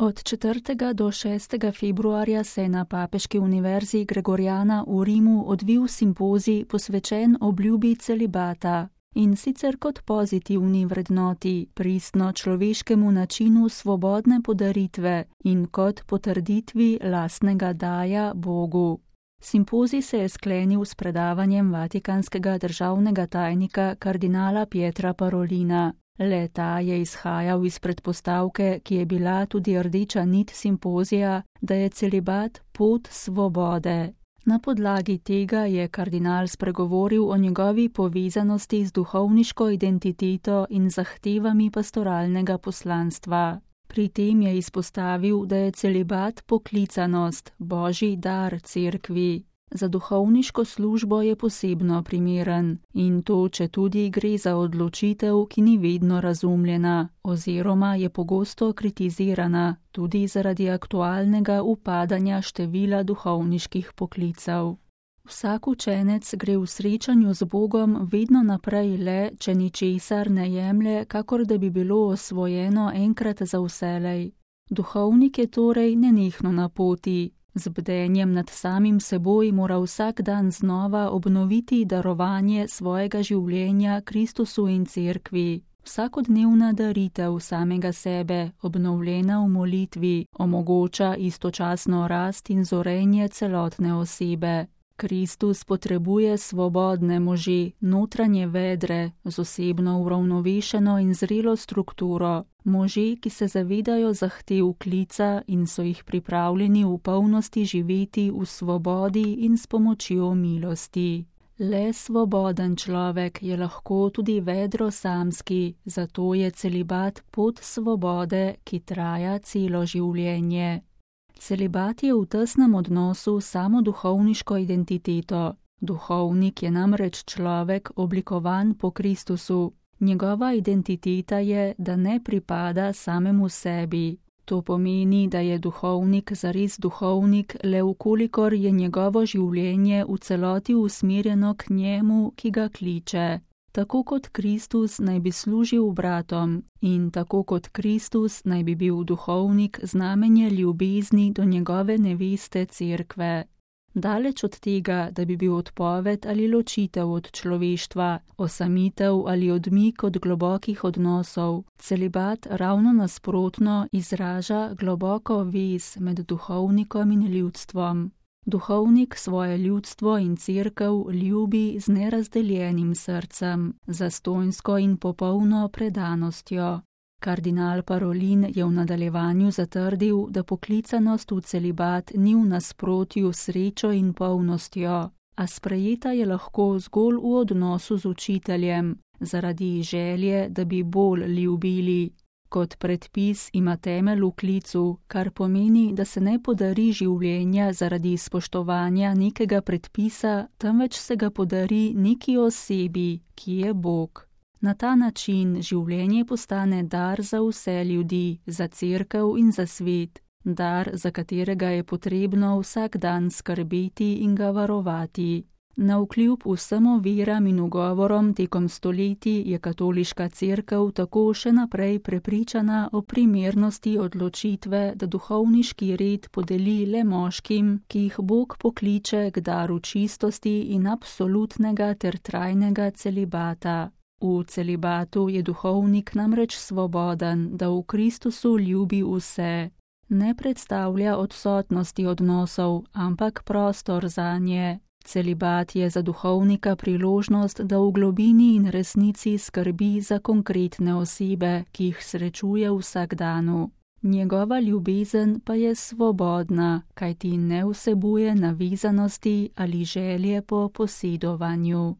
Od 4. do 6. februarja se je na Papeški univerzi Gregoriana v Rimu odvil simpozij posvečen obljubi celibata, in sicer kot pozitivni vrednoti, pristno človeškemu načinu svobodne podaritve in kot potrditvi lastnega daja Bogu. Simpozij se je sklenil s predavanjem vatikanskega državnega tajnika kardinala Pietra Parolina. Le-ta je izhajal iz predpostavke, ki je bila tudi rdeča nit simpozija, da je celibat pot svobode. Na podlagi tega je kardinal spregovoril o njegovi povezanosti z duhovniško identiteto in zahtevami pastoralnega poslanstva. Pri tem je izpostavil, da je celibat poklicanost, božji dar cerkvi. Za duhovniško službo je posebno primeren in to, četudi gre za odločitev, ki ni vedno razumljena oziroma je pogosto kritizirana, tudi zaradi aktualnega upadanja števila duhovniških poklicev. Vsak učenec gre v srečanju z Bogom vedno naprej le, če ničesar ne jemlje, kakor da bi bilo osvojeno enkrat za vselej. Duhovnik je torej nenehno na poti. Z bdenjem nad samim seboj mora vsak dan znova obnoviti darovanje svojega življenja Kristusu in cerkvi. Vsakodnevna daritev samega sebe, obnovljena v molitvi, omogoča istočasno rast in zorenje celotne osebe. Kristus potrebuje svobodne može, notranje vedre, z osebno uravnovešeno in zrelo strukturo, može, ki se zavedajo zahtev klica in so jih pripravljeni v polnosti živeti v svobodi in s pomočjo milosti. Le svoboden človek je lahko tudi vedro samski, zato je celibat pot svobode, ki traja celo življenje. Celibat je v tesnem odnosu s samo duhovniško identiteto. Duhovnik je namreč človek oblikovan po Kristusu. Njegova identiteta je, da ne pripada samemu sebi. To pomeni, da je duhovnik zares duhovnik, le vkolikor je njegovo življenje v celoti usmerjeno k njemu, ki ga kliče. Tako kot Kristus naj bi služil bratom in tako kot Kristus naj bi bil duhovnik znamenje ljubezni do njegove neveste cerkve. Daleč od tega, da bi bil odpoved ali ločitev od človeštva, osamitev ali odmik od globokih odnosov, celibat ravno nasprotno izraža globoko vez med duhovnikom in ljudstvom. Duhovnik svoje ljudstvo in cerkev ljubi z nerazdeljenim srcem, zastonjsko in popolno predanostjo. Kardinal Parolin je v nadaljevanju zatrdil, da poklicanost v celibat ni v nasprotju s srečo in polnostjo, a sprejeta je lahko zgolj v odnosu z učiteljem, zaradi želje, da bi bolj ljubili. Kot predpis ima temelj v klicu, kar pomeni, da se ne podari življenja zaradi spoštovanja nekega predpisa, temveč se ga podari neki osebi, ki je Bog. Na ta način življenje postane dar za vse ljudi, za cerkev in za svet, dar, za katerega je potrebno vsak dan skrbeti in ga varovati. Navkljub vsem oviram in ugovorom tekom stoletij je katoliška cerkev tako še naprej prepričana o primernosti odločitve, da duhovniški red podeli le moškim, ki jih Bog pokliče k daru čistosti in absolutnega ter trajnega celibata. V celibatu je duhovnik namreč svoboden, da v Kristusu ljubi vse. Ne predstavlja odsotnosti odnosov, ampak prostor zanje. Celibat je za duhovnika priložnost, da v globini in resnici skrbi za konkretne osebe, ki jih srečuje v vsakdanu. Njegova ljubezen pa je svobodna, kajti ne vsebuje navezanosti ali želje po posedovanju.